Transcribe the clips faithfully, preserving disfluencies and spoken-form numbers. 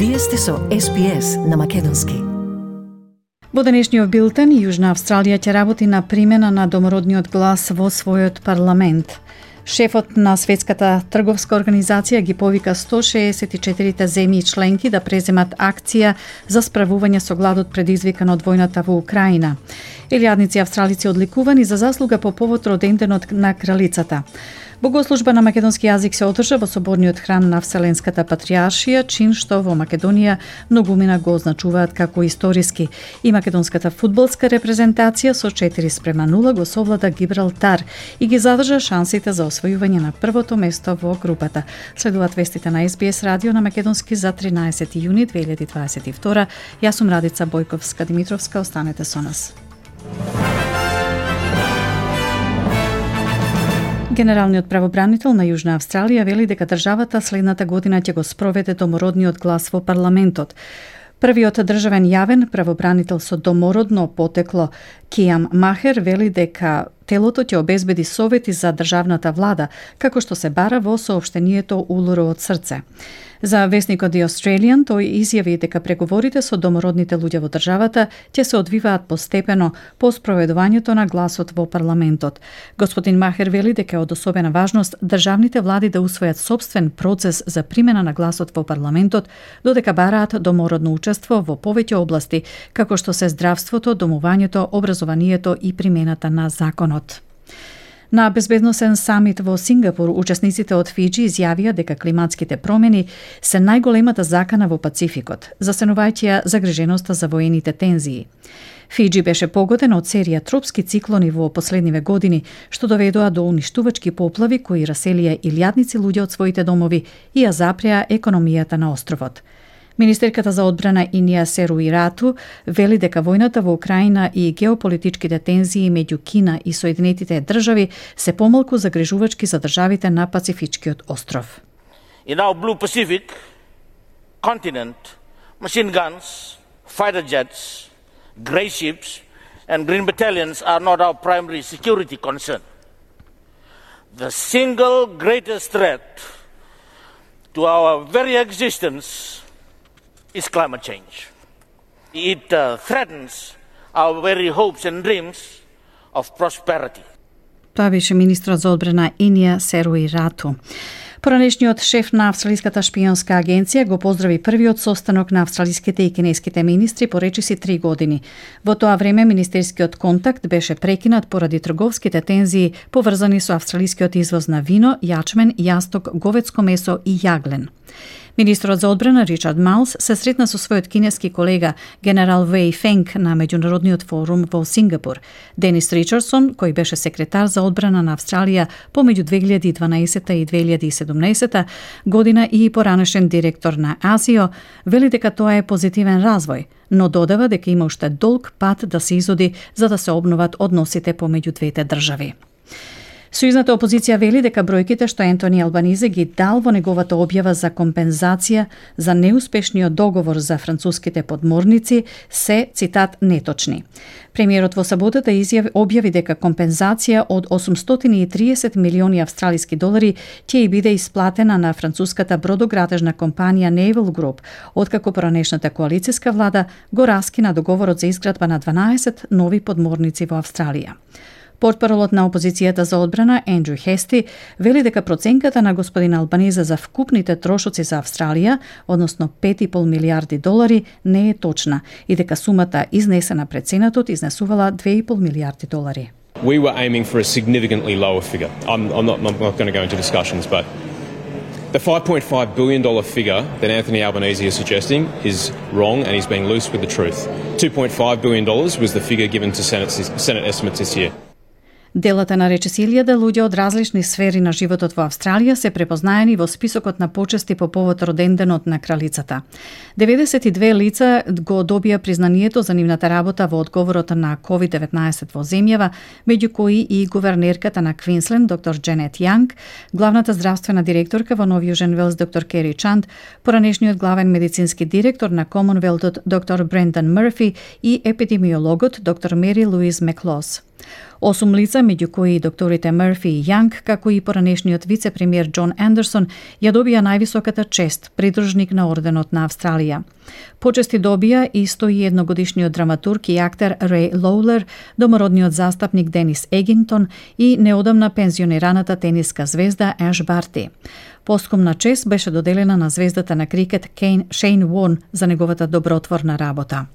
Вие сте со Ес Би Ес на македонски. Во денешниот билтен, Јужна Австралија ќе работи на примена на домородниот глас во својот парламент. Шефот на Светската трговска организација ги повика сто шеесет и четири земји членки да преземат акција за справување со гладот предизвикан од војната во Украина. Илјадници австралици одликувани за заслуга по повод роденденот на кралицата. Богослужба на македонски јазик се одржа во соборниот храм на Вселенската патријаршија, чин што во Македонија многумина го означуваат како историски. И македонската фудбалска репрезентација со четири спрема нула го совлада Гибралтар и ги задржа шансите за освојување на првото место во групата. Следуваат вестите на Ес Би Ес радио на македонски за тринаесети јуни две илјади дваесет и втора. Јас сум Радица Бојковска-Димитровска, останете со нас. Генералниот правобранител на Јужна Австралија вели дека државата следната година ќе го спроведе домородниот глас во парламентот. Првиот државен јавен правобранител со домородно потекло Киам Махер вели дека телото ќе обезбеди совети за државната влада, како што се бара во соопштението Улуро од срце. За вестникот The Australian тој изјави дека преговорите со домородните луѓе во државата ќе се одвиваат постепено по спроведувањето на гласот во парламентот. Господин Махер вели дека е од особена важност државните влади да усвојат собствен процес за примена на гласот во парламентот, додека бараат домородно учество во повеќе области, како што се здравството, домувањето, образованието и примената на законот. На безбедносен самит во Сингапур, учесниците од Фиџи изјавија дека климатските промени се најголемата закана во Пацификот, засенувајќи ја загриженоста за воените тензии. Фиџи беше погоден од серија тропски циклони во последниве години, што доведоа до уништувачки поплави кои раселија илјадници луѓе од своите домови и ја запреа економијата на островот. Министерката за одбрана Инија Серуирату вели дека војната во Украина и геополитичките тензии меѓу Кина и Соединетите држави се помалку загрижувачки за државите на Пацифичкиот остров. In our blue Pacific continent, machine guns, fighter jets, grey ships and green battalions are not our primary security concern. The single greatest threat to our very existence is climate change. It uh, threatens our very hopes and dreams of prosperity. Тоа беше министрот за одбрана Инија Серуирату. Поранешниот шеф на Австралиската шпионска агенција го поздрави првиот состанок на австралиските и кинеските министри по речиси три години. Во тоа време министерскиот контакт беше прекинат поради трговските тензии поврзани со австралискиот извоз на вино, јачмен, јасток, говедско месо и јаглен. Министрот за одбрана Ричард Маус се сретна со својот кинески колега генерал Веј Фенг на меѓународниот форум во Сингапур. Денис Ричардсон, кој беше секретар за одбрана на Австралија помеѓу две илјади и дванаесета и две илјади и седумнаесета година и поранешен директор на АСИО, вели дека тоа е позитивен развој, но додава дека има уште долг пат да се изоди за да се обноват односите помеѓу двете држави. Сојузната опозиција вели дека бројките што Ентони Албанизе ги дал во неговата објава за компензација за неуспешниот договор за француските подморници се, цитат, неточни. Премиерот во саботата изјави објави дека компензација од осумстотини и триесет милиони австралиски долари ќе и биде исплатена на француската бродоградежна компанија Naval Group, откако поранешната коалицијска влада го раскина договорот за изградба на дванаесет нови подморници во Австралија. Портпаролот на опозицијата за одбрана Ендрю Хести вели дека проценката на господин Албанизе за вкупните трошоци за Австралија, односно пет и пол милијарди долари, не е точна и дека сумата изнесена пред Сенатот изнесувала две и пол милијарди долари. We were aiming for a significantly lower figure. I'm, I'm not, I'm not going to go into discussions, but the five point five billion dollars figure that Anthony Albanese is suggesting is wrong and he's being loose with the truth. two point five billion dollars was the figure given to Senate, Senate estimates this year. Делата на речиси илјада луѓе од различни сфери на животот во Австралија се препознаени во списокот на почести по повод роденденот на кралицата. деветдесет и две лица го добија признанието за нивната работа во одговорот на ковид деветнаесет во земјава, меѓу кои и гувернерката на Квинсленд, доктор Дженет Јанг, главната здравствена директорка во Нов Јужен Велс, доктор Кери Чанд, поранешниот главен медицински директор на Комонвелтот, доктор Брендан Мърфи и епидемиологот, доктор Мери Луиз Меклос. Осум лица, меѓу кои и докторите Мерфи и Јанг, како и поранешниот вице-премиер Џон Андерсон, ја добија највисоката чест, придружник на Орденот на Австралија. Почести добија и сто и едно годишниот драматург и актер Реј Лоулер, домородниот застапник Денис Егинтон и неодамна пензионираната тениска звезда Еш Барти. Постхумна чест беше доделена на звездата на крикет Кейн Шейн Вон за неговата добротворна работа.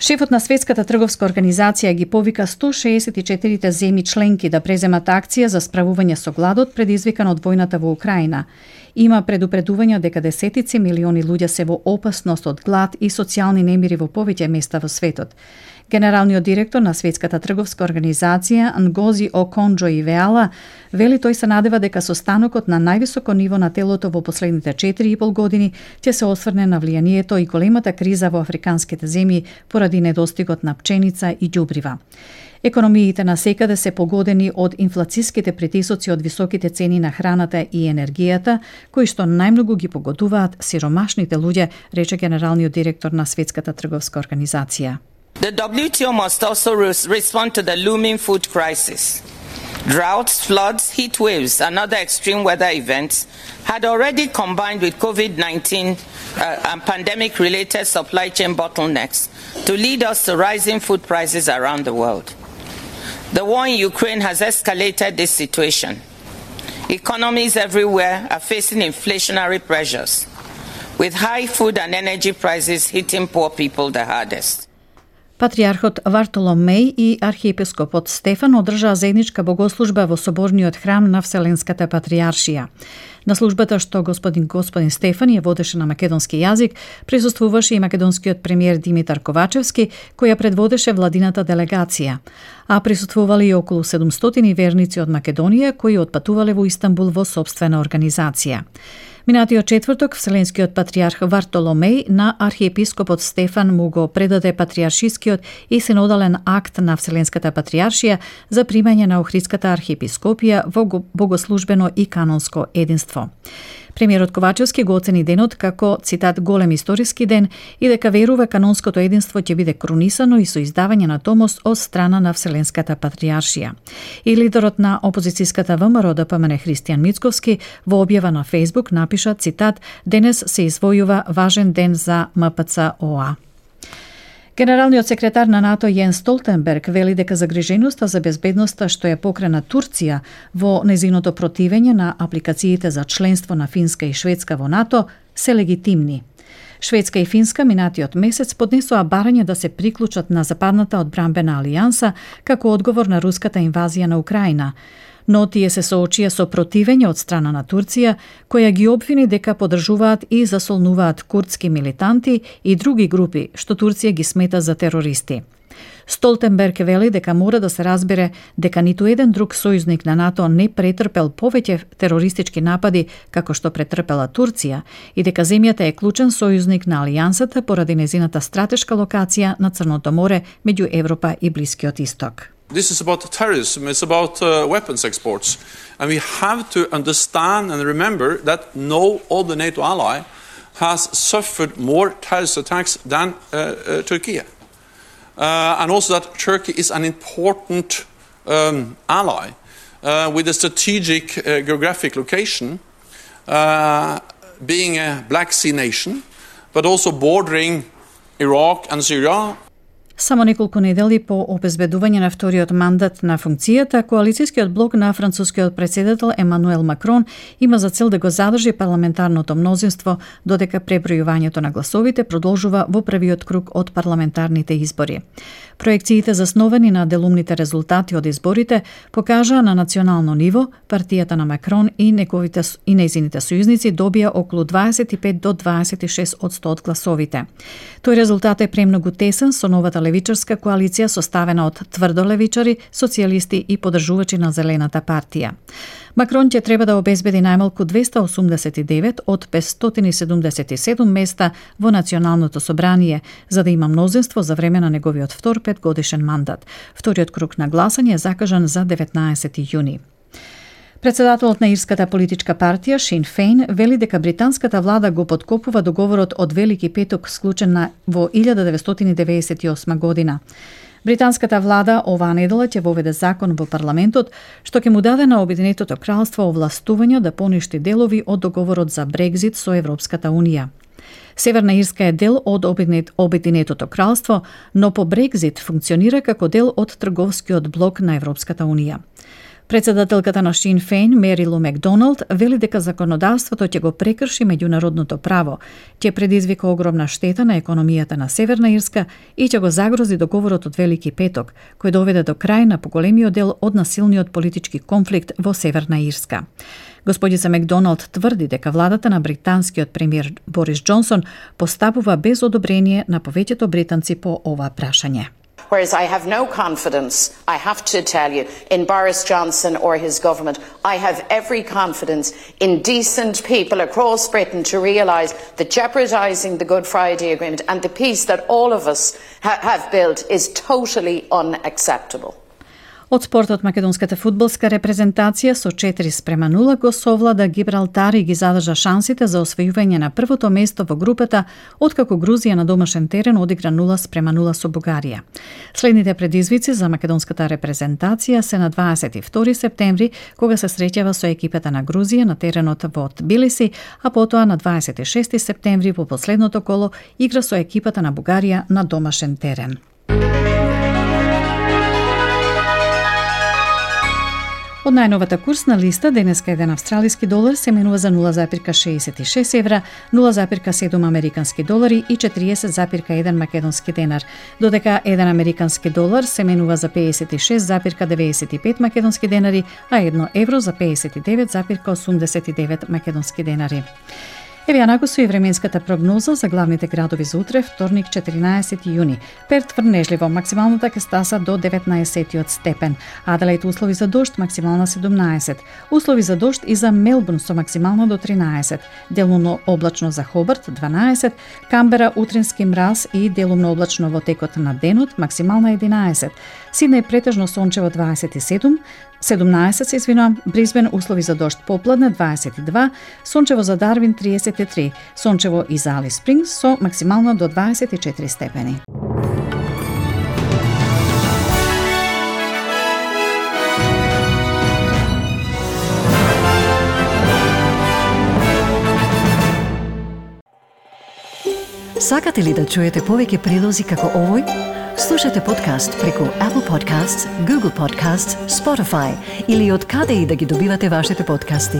Шефот на Светската трговска организација ги повика сто шеесет и четири земји членки да преземат акција за справување со гладот предизвикан од војната во Украина. Има предупредување дека десетици милиони луѓе се во опасност од глад и социјални немири во повеќе места во светот. Генералниот директор на Светската трговска организација Нгози Оконџо Ивеала вели тој се надева дека состанокот на највисоко ниво на телото во последните четири и пол години ќе се осврне на влијанието и големата криза во африканските земји поради недостигот на пченица и ѓубрива. Економиите на секаде се погодени од инфлацијските притисоци од високите цени на храната и енергијата, кои што најмногу ги погодуваат сиромашните луѓе, рече генералниот директор на Светската трговска организација. The W T O must also respond to the looming food crisis. Droughts, floods, heat waves, and other extreme weather events had already combined with COVID nineteen uh, and pandemic-related supply chain bottlenecks to lead us to rising food prices around the world. The war in Ukraine has escalated this situation. Economies everywhere are facing inflationary pressures, with high food and energy prices hitting poor people the hardest. Патриархот Вартоломеј и архиепископот Стефан одржаа заедничка богослужба во соборниот храм на Вселенската патријаршија. На службата што господин господин Стефан ја водеше на македонски јазик, присуствуваше и македонскиот премиер Димитар Ковачевски, која предводеше владината делегација. А присуствували и околу седумстотини верници од Македонија кои отпатувале во Истанбул во сопствена организација. Минатиот четврток Вселенскиот патријарх Вартоломеј на архиепископот Стефан му го предаде патријаршискиот и синодален акт на Вселенската патријаршија за примање на Охридската архиепископија во богослужбено и канонско единство. Премиерот Ковачевски го оцени денот како, цитат, голем историски ден и дека верува канонското единство ќе биде крунисано и со издавање на томос од страна на Вселенската патријаршија. И лидерот на опозицијската ВМРО Д П М Н Христијан Мицковски во објава на Фејсбук напиша, цитат, денес се извојува важен ден за М П Ц О А. Генералниот секретар на НАТО Јенс Столтенберг вели дека загриженоста за безбедноста што ја покрена Турција во незиното противење на апликациите за членство на Финска и Шведска во НАТО се легитимни. Шведска и Финска минатиот месец поднесоа барање да се приклучат на западната одбранбена алијанса како одговор на руската инвазија на Украина. Но тие се соочија со противење од страна на Турција, која ги обвини дека подржуваат и засолнуваат курдски милитанти и други групи што Турција ги смета за терористи. Столтенберг вели дека мора да се разбере дека ниту еден друг сојузник на НАТО не претрпел повеќе терористички напади како што претрпела Турција и дека земјата е клучен сојузник на алијансата поради незината стратешка локација на Црното море меѓу Европа и Блискиот Исток. This is about terrorism, it's about uh, weapons exports. And we have to understand and remember that no other NATO ally has suffered more terrorist attacks than uh, uh, Turkey. Uh, and also that Turkey is an important um, ally uh, with a strategic uh, geographic location, uh, being a Black Sea nation, but also bordering Iraq and Syria. Само неколку недели по обезбедување на вториот мандат на функцијата, коалицијскиот блок на францускиот претседател Емануел Макрон има за цел да го задржи парламентарното мнозинство додека пребројувањето на гласовите продолжува во првиот круг од парламентарните избори. Проекциите засновани на делумните резултати од изборите покажаа на национално ниво партијата на Макрон и неговите и нејзините сојузници добија околу дваесет и пет до дваесет и шест одсто од гласовите. Тој резултат е премногу тесен со новата левичарска коалиција составена од тврдолевичари, социјалисти и поддржувачи на Зелената партија. Макрон ќе треба да обезбеди најмалку двеста осумдесет и девет од петстотини седумдесет и седум места во Националното собрание, за да има мнозинство за време на неговиот втор петгодишен мандат. Вториот круг на гласање е закажан за деветнаесети јуни. Председателот на ирската политичка партија Шин Фейн вели дека британската влада го поткопува договорот од Велики петок склучен на во илјада деветстотини девеесет и осма година. Британската влада оваа недела ќе воведе закон во парламентот што ќе му даде на Обединетото кралство овластување да поништи делови од договорот за Брекзит со Европската унија. Северна Ирска е дел од Обединетото кралство, но по Брекзит функционира како дел од трговскиот блок на Европската унија. Председателката на Sinn Féin, Mary Lou McDonald, вели дека законодавството ќе го прекрши меѓународното право, ќе предизвика огромна штета на економијата на Северна Ирска и ќе го загрози договорот од Велики петок, кој доведе до крај на поголемиот дел од насилниот политички конфликт во Северна Ирска. Господица Макдоналд тврди дека владата на британскиот премиер Борис Џонсон постапува без одобрение на повеќето британци по ова прашање. Whereas I have no confidence, I have to tell you, in Boris Johnson or his government. I have every confidence in decent people across Britain to realise that jeopardising the Good Friday Agreement and the peace that all of us ha- have built is totally unacceptable. Од спортот, македонската фудбалска репрезентација со четири спрема нула го совлада Гибралтар и ги задржа шансите за освојување на првото место во групата, откако Грузија на домашен терен одигра нула спрема нула со Бугарија. Следните предизвици за македонската репрезентација се на дваесет и втори септември, кога се среќава со екипата на Грузија на теренот во Тбилиси, а потоа на дваесет и шести септември во последното коло игра со екипата на Бугарија на домашен терен. Од најновата курсна листа, денеска еден австралиски долар се менува за нула запирка шеесет и шест евра, нула запирка седум американски долари и четириесет запирка еден македонски денар, додека еден американски долар се менува за пеесет и шест запирка деветдесет и пет македонски денари, а едно евро за пеесет и девет запирка осумдесет и девет македонски денари. Еве ја накусу и временската прогноза за главните градови за утре, вторник четиринаесети јуни. Перт врнежливо, максималната ќе стаса до деветнаесет степен. Аделаид услови за дожд, максимална седумнаесет. Услови за дожд и за Мелбурн со максимална до тринаесет. Делумно облачно за Хобарт дванаесет. Камбера утрински мраз и делумно облачно во текот на денот, максимална единаесет. Сиднеј претежно сончево дваесет и седум. седумнаесет се извинувам, Брисбен услови за дожд попладне дваесет и два, сончево за Дарвин триесет и три, сончево и за Алис Спрингс со максимално до дваесет и четири степени. Сакате ли да чуете повеќе прилози како овој? Слушате подкаст преку Apple Podcasts, Google Podcasts, Spotify или од каде и да ги добивате вашите подкасти.